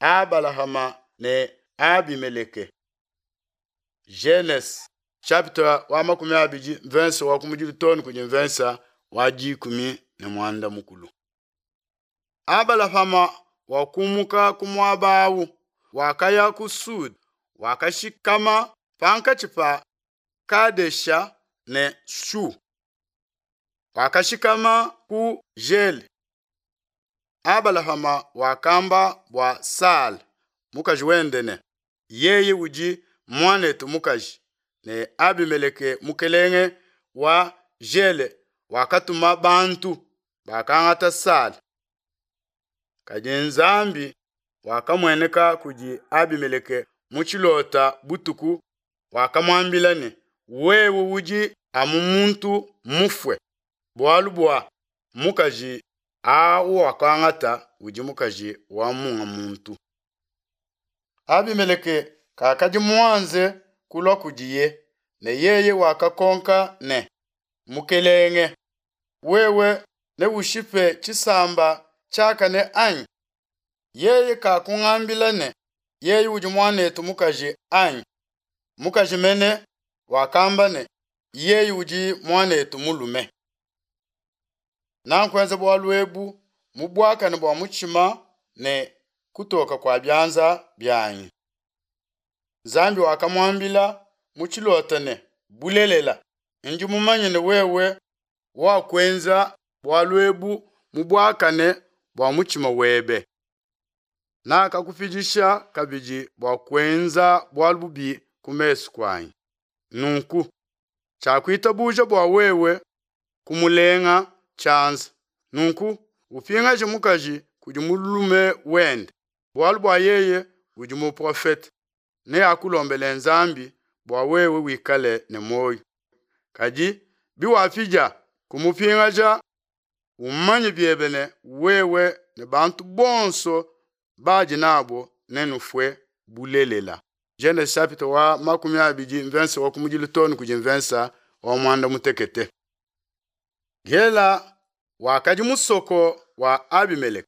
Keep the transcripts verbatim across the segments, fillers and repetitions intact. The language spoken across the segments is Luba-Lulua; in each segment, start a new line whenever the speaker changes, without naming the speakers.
Abalahama ne Abimeleke. Genese chapitre wa makumi abidi mvensa wa kumudilu too ne kudi mvensa wa dikumi ne muanda mukulu. Abalahama wakumuka ku muaba awu, wakaya ku Sud, wakashikama pankatshi pa Kadesha ne Shu. Wakashikama ku Gele. Abalahama wakamba bua Sala mukaji wende ne, yeye udi muanetu mukaji, ne Abimeleke mukelenge wa Gele wakatuma bantu, bakangata Sala. Kadi Nzambi wakamueneka kudi Abimeleke mu tshilota butuku, wakamuambila ne, wewe udi amu muntu mufue, bualu bua mukaji awu wakangata udi mukaji wa munga muntu. Abimeleke kakadi muanze kulua kudiye, ne yeye wakakonka ne, Mukelenge, wewe neushipe tshisamba tshiakane, anyi? Yeye kakungambila ne, Yeye udi muanetu mukaji, anyi? Mukaji mene wakamba ne, Yeye udi muanetu mulume. Nankuenza bualu ebu mu buakane bua mutshima ne kutoka kua bianza bianyi. Nzambi wakamuambila mu tshilota ne, Bulelela, ndi mumanye ne wewe wakuenza bualu ebu mu buakane bua mutshima webe. Nakakupidisha kabidi bua kuenza bualu bubi ku mesu kuanyi. Nunku tshiakuitabuja bua wewe kumulenga tshianza. Nunku upingaje mukaji kudi mulume wende, bualu bua yeye udi muprofete, neakulombele Nzambi bua wewe wikale ne muoyo. Kadi biwapidia kumupingaja, umanye biebe ne wewe ne bantu bonso badi nabo nenufue bulelela. Genese chapitre wa makumi abidi mvensa wa kumudilu too ne kudi mvensa wa muanda mutekete. Gela wakadi musoko wa Abimeleke,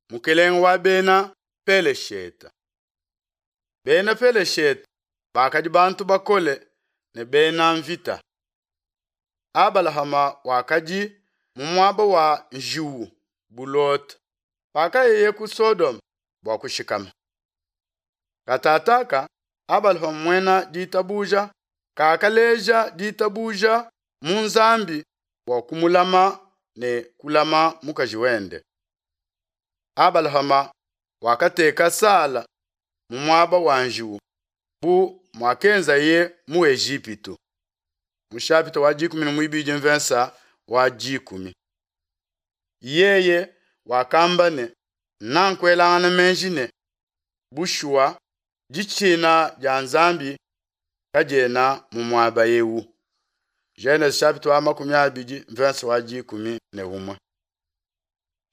mukelenge wa bena Peleshete. Bena Peleshete bakadi bantu bakole ne bena mvita. Abalahama wakadi mu muaba wa njiwu bu Lota pakayeye ku Sodoma bua kushikama. Katataka Abalahama muena ditabuja kakaleja ditabuja mu Nzambi bua kumulama ne kulama mukaji wende. Abalahama wakateka Sala mu muaba wa njiwu bu muakenzaye mu Ejipitu. Mu chapitre wa dikumi ne muibidi mvensa wa dikumi. Yeye wakamba ne, nankuelangana meji ne, bushuwa ditshina dia Nzambi kadiena mu muaba ewu. Genese chapitre wa makumi abidi mvensa wa dikumi ne umue.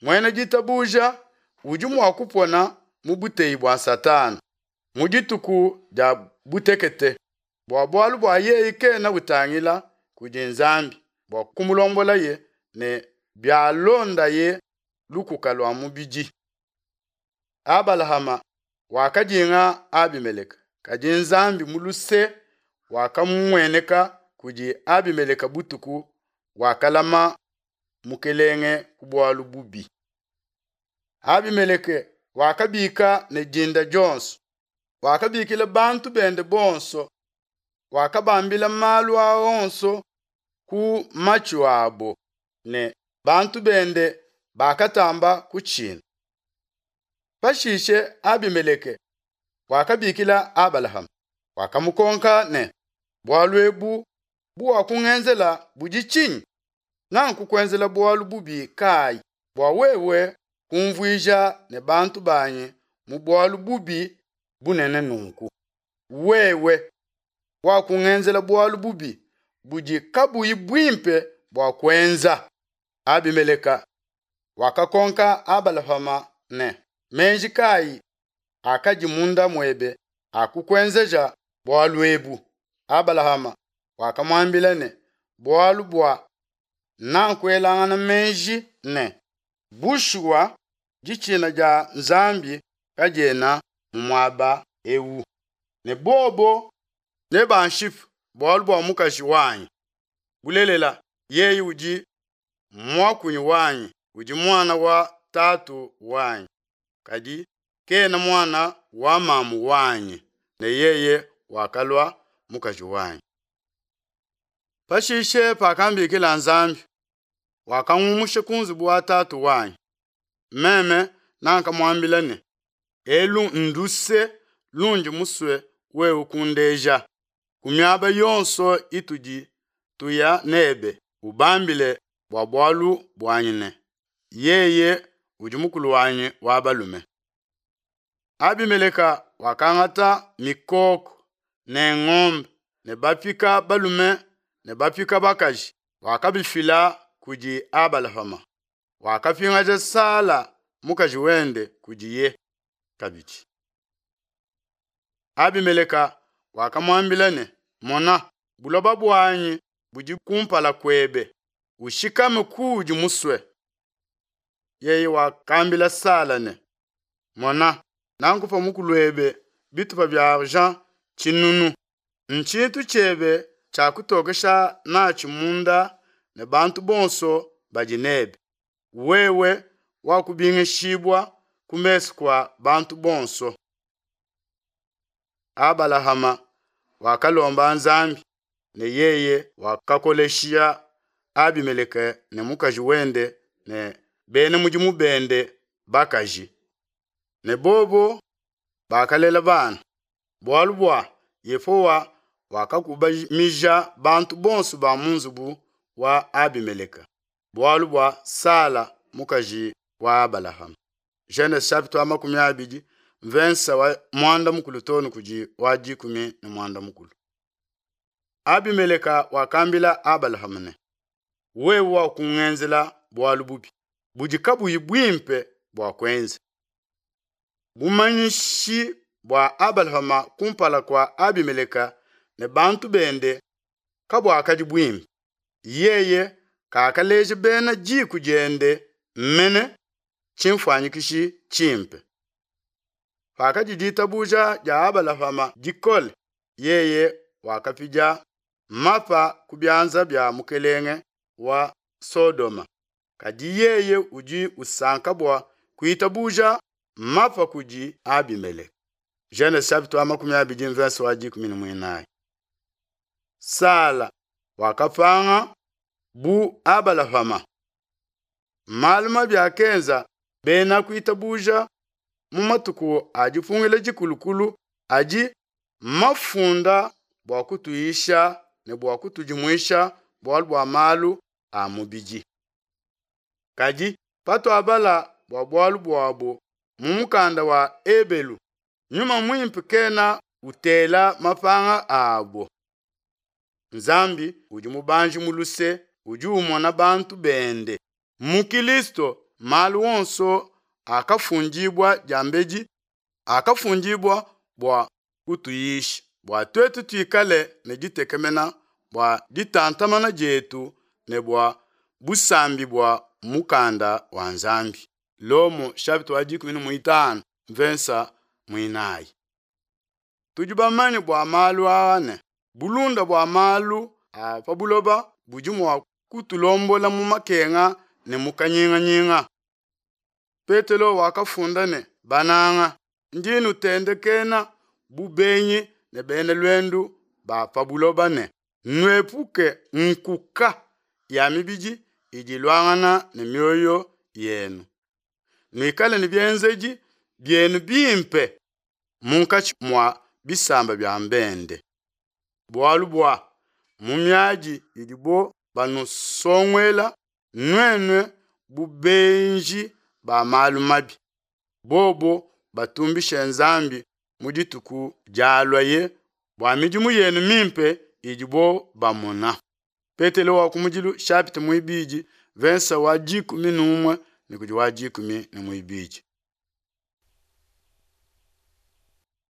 Muena ditabuja udi mua kupona mu buteyi bua Satana mu dituku dia butekete, bua bualu bua yeye kena utangila kudi Nzambi bua kumulombolaye ne bialondaye lukuka lua mubidi. Abalahama wakadinga Abimeleke, kadi Nzambi mu luse wakamueneka kudi Abimeleke butuku, wakalama mukelenge ku bualu bubi. Abimeleke wakabika ne dinda dionso, wakabikila bantu bende bonso, wakabambila malu a onso ku matshu abo, ne bantu bende bakatamba kutshina. Pashishe Abimeleke wakabikila Abalahama, wakamukonka ne, bualu ebu buwakungenzela budi tshinyi? Nankukuenzela bualu bubi kayi bua wewe kumvuija ne bantu banyi mu bualu bubi bunene nunku? Wewe wakungenzela bualu bubi budi kabuyi buimpe bua kuenza. Abimeleka wakakonka Abalahama ne, meji kayi akadi munda muebe akukuenzeja bualu ebu? Abalahama wakamuambila ne, bualu bua nankuelangana meji ne, bushuwa ditshina dia Nzambi kadiena mu muaba eu, ne bobo nebanshipe bualu bua mukaji wanyi. Bulelela, yeye udi muakunyi wanyi, udi muana wa tatu wanyi, kadi kena muana wa mamu wanyi, ne yeye wakalua mukaji wanyi. Pashishe pakambikila Nzambi, wakangumusha ku nzubu wa tatu wanyi, meme nakamuambila ne, Elu nduse lundi musue wewe kundeja, ku miaba yonso itudi tuya nebe ubambile bua bualu buanyi ne, Yeye udi mukulu wanyi wa balume. Abimeleka wakangata mikoko ne ngombe ne bapika balume ne bapika bakaji, wakabifila kudi Abalahama. Wakapingaja Sala mukaji wende kudiye kabidi. Abimeleka wakamuambila ne, Mona, buloba buanyi budi kumpala kuebe, ushikame kuudi musue. Yeye wakambila Sala ne, Mona, nankupa mukuluebe bitupa bia argent tshinunu, ntshintu tshiebe tshia kutokesha natshi munda ne bantu bonso badi nebe. Wewe wakubingishibua ku mesu kua bantu bonso. Abalahama wakalomba Nzambi ne yeye wakakolesha Abimeleke ne mukaji wende ne bena mudimu bende bakaji. Ne bobo bakalela bana, bualu bua Yehowa wakakubamija bantu bonso ba mu nzubu wa Abimeleke, bualu bua Sala mukaji wa Abalahama. Genese chapitre wa makumi abidi mvensa wa mwanda mukulu too ne kudi wa dikumi ne mwanda mukulu. Abimeleka wakambila Abalahama ne, wewe wakungenzela bualu bubi budi kabuyi buimpe bua kuenza. Bumanyishi bua Abalahama kumpala kua Abimeleka ne bantu bende kabuakadi buimpe. Yeye kakaleja bena diku diende mene tshimfuanyikishi tshimpe. Pakadi ditabuja dia Abalahama dikole, yeye wakapidia mapa ku bianza bia mukelenge wa Sodoma. Kadi yeye udi usanka bua kuitabuja mapa kudi Abimeleke. Genese chapitre wa makumi abidi verse wa dikumi ne muinayi. Sala wakapanga bu Abalahama. Malu mabi akenza bena kuitabuja mu matuku a dipungila dikulukulu adi mafunda bua kutuyisha ne bua kutudimuisha bualu bua malu a mubidi. Kadi patuabala bua bualu buabo mu mukanda wa Ebelu, Nyuma Muimpe kena utela mapanga abo. Nzambi udi mubanji mu luse, udi umona bantu bende. Mu Kilisto malu onso akafundibua diambedi akafundibua bua kutuyisha, bua tuetu tuikale ne ditekemena bua ditantamana dietu ne bua busambi bua mukanda wa Nzambi. Lomo chapitre wa dikumi ne muitanu mvensa muinayi. Tudi bamanye bua malu aa ne bulunda bua malu a pa buloba budi mua kutulombola mu makenga ne mu kanyinganyinga. Petelo wakafunda ne, bananga, ndi nutendekena bu benyi ne bena luendu ba pa buloba ne nuepuke nkuka ya mibidi idi iluangana ne mioyo yenu. Nuikale ne bienzedi bienu bimpe munkatshi mua bisamba bia mbende. Bualu bua mu miadi idibo banusonguela nuenu bu benji ba malu mabi, bobo batumbishe Nzambi mu dituku dialuaye bua midimu yenu mimpe idibo bamona. Petelo wa kumudilu chapitre muibidi verse wa dikumi n'umue ne kudi wa dikumi ne muibidi.